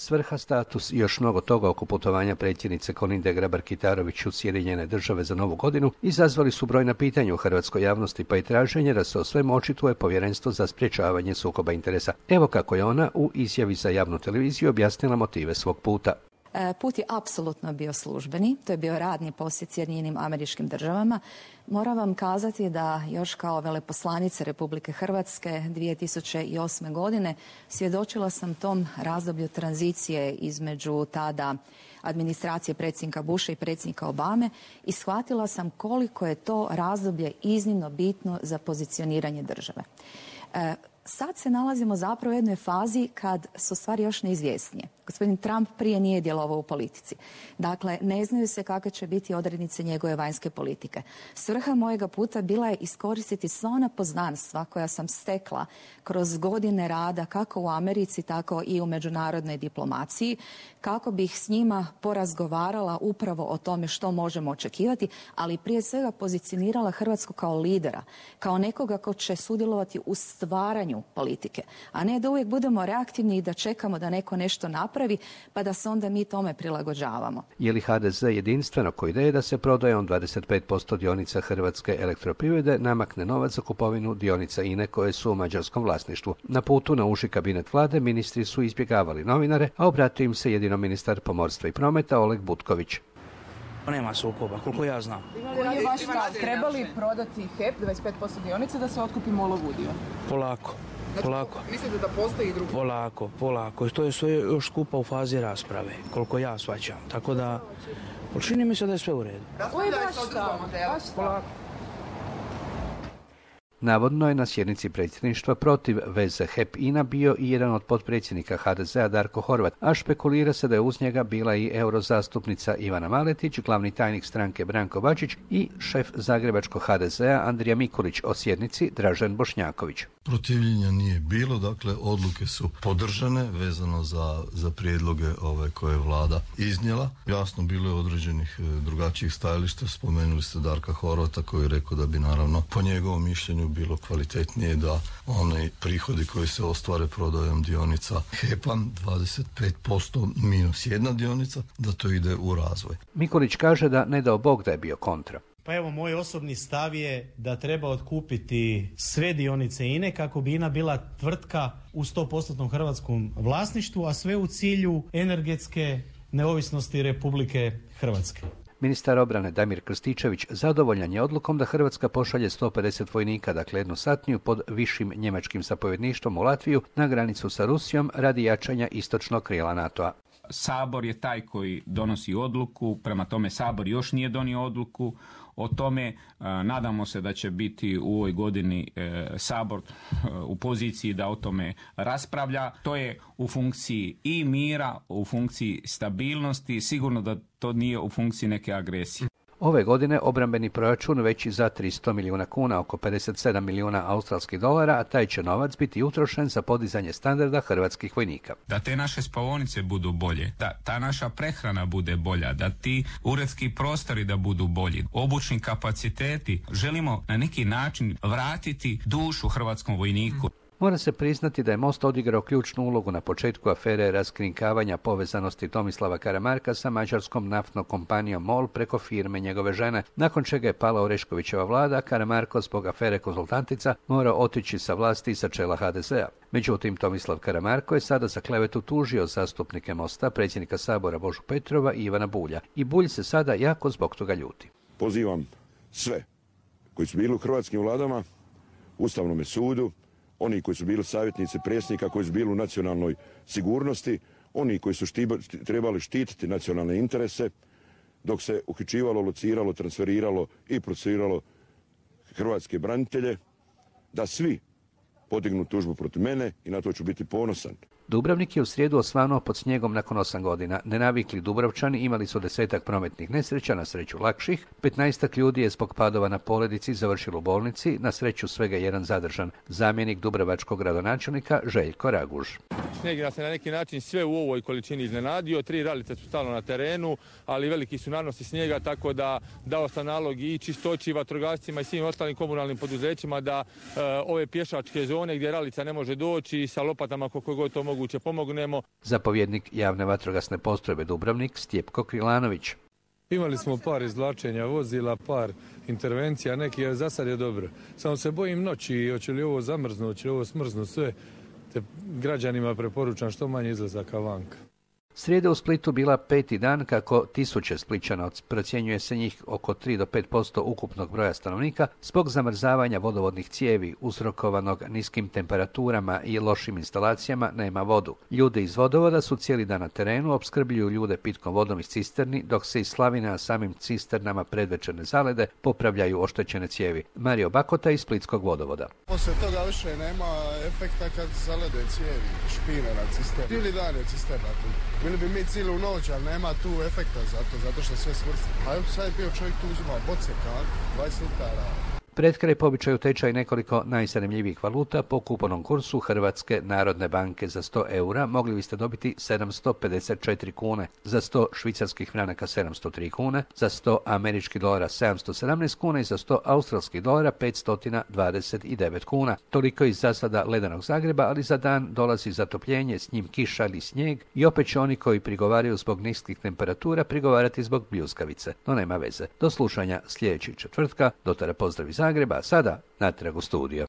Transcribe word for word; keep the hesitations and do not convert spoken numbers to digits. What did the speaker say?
Svrha, status i još mnogo toga oko putovanja predsjednice Kolinde Grabar-Kitarović u Sjedinjene Države za Novu godinu izazvali su brojna pitanja u hrvatskoj javnosti, pa i traženje da se o svemu očituje Povjerenstvo za sprječavanje sukoba interesa. Evo kako je ona u izjavi za javnu televiziju objasnila motive svog puta. Put je apsolutno bio službeni, to je bio radni posjet Sjedinjenim Američkim Državama. Moram vam kazati da još kao veleposlanica Republike Hrvatske dvije tisuće osme. godine svjedočila sam tom razdoblju tranzicije između tada administracije predsjednika Busha i predsjednika Obame i shvatila sam koliko je to razdoblje iznimno bitno za pozicioniranje države. E, Sad se nalazimo zapravo u jednoj fazi kad su stvari još neizvjesnije. Gospodin Trump prije nije djelovao u politici. Dakle, ne znaju se kakve će biti odrednice njegove vanjske politike. Svrha mojega puta bila je iskoristiti sva ona poznanstva koja sam stekla kroz godine rada kako u Americi, tako i u međunarodnoj diplomaciji, kako bih s njima porazgovarala upravo o tome što možemo očekivati, ali prije svega pozicionirala Hrvatsku kao lidera, kao nekoga ko će sudjelovati u stvaranju politike, a ne da uvijek budemo reaktivni i da čekamo da neko nešto napravi, pa da se onda mi tome prilagođavamo. Je li ha de ze jedinstveno ko ideje da se prodajom dvadeset pet posto dionica Hrvatske elektroprivrede namakne novac za kupovinu dionica I N E koje su u mađarskom vlasništvu? Na putu na uži kabinet vlade ministri su izbjegavali novinare, a obratio im se jedino ministar pomorstva i prometa Oleg Butković. Nema sukoba, koliko ja znam. Koji je vaš stav? Treba li prodati H E P dvadeset pet posto dionica da se otkupi MOL-ov udio? Polako, polako. Mislite da postoji i drugi? Polako, polako. To je sve još skupa u fazi rasprave, koliko ja shvaćam. Tako da, čini mi se da je sve u redu. Koji je vaš stav? Polako. Navodno je na sjednici predsjedništva protiv veze H E P I N A bio i jedan od potpredsjednika ha de zea Darko Horvat, a špekulira se da je uz njega bila i eurozastupnica Ivana Maletić, glavni tajnik stranke Branko Bačić i šef zagrebačkog ha de zea Andrija Mikulić, o sjednici Dražen Bošnjaković. Protivljenja nije bilo, dakle odluke su podržane vezano za, za prijedloge ove koje je vlada iznijela. Jasno, bilo je određenih drugačijih stajališta, spomenuli ste Darka Horvata koji je rekao da bi naravno po njegovom mišljenju bilo kvalitetnije da oni prihodi koji se ostvare prodajom dionica H E P-a, dvadeset pet posto minus jedna dionica, da to ide u razvoj. Mikulić kaže da ne dao Bog da je bio kontra. Pa evo, moj osobni stav je da treba otkupiti sve dionice I N E kako bi I N A bila tvrtka u sto posto hrvatskom vlasništvu, a sve u cilju energetske neovisnosti Republike Hrvatske. Ministar obrane Damir Krstičević zadovoljan je odlukom da Hrvatska pošalje sto pedeset vojnika, dakle jednu satniju pod višim njemačkim zapovjedništvom u Latviju na granicu sa Rusijom radi jačanja istočnog krila NATO-a. Sabor je taj koji donosi odluku, prema tome Sabor još nije donio odluku o tome. Nadamo se da će biti u ovoj godini Sabor u poziciji da o tome raspravlja. To je u funkciji i mira, u funkciji stabilnosti, sigurno da to nije u funkciji neke agresije. Ove godine obrambeni proračun veći za tristo milijuna kuna, oko pedeset sedam milijuna australskih dolara, a taj će novac biti utrošen za podizanje standarda hrvatskih vojnika. Da te naše spavaonice budu bolje, da ta naša prehrana bude bolja, da ti uredski prostori da budu bolji, obučni kapaciteti. Želimo na neki način vratiti dušu hrvatskom vojniku. Mora se priznati da je Most odigrao ključnu ulogu na početku afere raskrinkavanja povezanosti Tomislava Karamarka sa mađarskom naftnom kompanijom MOL preko firme njegove žene, nakon čega je pala Oreškovićeva vlada, Karamarko zbog afere Konzultantica morao otići sa vlasti i sa čela ha de zea. Međutim, Tomislav Karamarko je sada za klevetu tužio zastupnike Mosta, predsjednika Sabora Božu Petrova i Ivana Bulja. I Bulj se sada jako zbog toga ljuti. Pozivam sve koji su bili u hrvatskim vladama, Ustavnome sudu, oni koji su bili savjetnici predsjednika, koji su bili u nacionalnoj sigurnosti, oni koji su štiba, trebali štititi nacionalne interese, dok se uhićivalo, lociralo, transferiralo i procesuiralo hrvatske branitelje, da svi podignu tužbu protiv mene i na to ću biti ponosan. Dubrovnik je u srijedu osvanuo pod snijegom nakon osam godina. Nenavikli Dubrovčani imali su desetak prometnih nesreća, na sreću lakših. Petnaestak ljudi je zbog padova na Poledici završilo u bolnici, na sreću svega jedan zadržan. Zamjenik dubrovačkog gradonačelnika Željko Raguž. Snijeg nas je na neki način sve u ovoj količini iznenadio. Tri ralice su stalno na terenu, ali veliki su nanosi snijega, tako da dao sam nalog i čistoći, vatrogascima i svim ostalim komunalnim poduzećima da e, ove pješačke zone gdje ralica ne može doći sa lopatama koliko god to mogu moguće pomognemo. Zapovjednik javne vatrogasne postrojbe Dubrovnik Stjepko Krilanović. Imali smo par izvlačenja vozila, par intervencija, neki je za sad je dobro. Samo se bojim noći, hoće li ovo zamrznuti, hoće li ovo smrznuti, sve. Te građanima preporučam što manje izlazaka vanka. Srijeda u Splitu bila peti dan kako tisuće Splićana, procjenjuje se njih oko tri do pet posto ukupnog broja stanovnika, zbog zamrzavanja vodovodnih cijevi uzrokovanog niskim temperaturama i lošim instalacijama nema vodu. Ljudi iz vodovoda su cijeli dan na terenu, opskrbljuju ljude pitkom vodom iz cisterni, dok se iz slavine na samim cisternama predvečerne zalede popravljaju oštećene cijevi. Mario Bakota iz Splitskog vodovoda. Poslije toga više nema efekta kad zalede cijevi, špine na cisterni. Cijeli dan je cisterna tu. Bili bi mi cijelu noć, ali nema tu efekta zato, zato što sve smrsti. A evo sad je bio čovjek tu uzima boce, kan, dvadeset litara. Pred kraj po običaju tečaj nekoliko najzanimljivijih valuta. Po kupovnom kursu Hrvatske narodne banke za sto eura mogli biste dobiti sedamsto pedeset četiri kune, za sto švicarskih franaka sedamsto tri kune, za sto američkih dolara sedamsto sedamnaest kuna i za sto australskih dolara petsto dvadeset devet kuna. Toliko iz zasada ledenog Zagreba, ali za dan dolazi zatopljenje, s njim kiša ili snijeg i opet će oni koji prigovaraju zbog niskih temperatura prigovarati zbog bljuskavice. No nema veze. Do slušanja sljedećeg četvrtka. Do tada pozdrav iz Zagreba, a sada natrag u studio.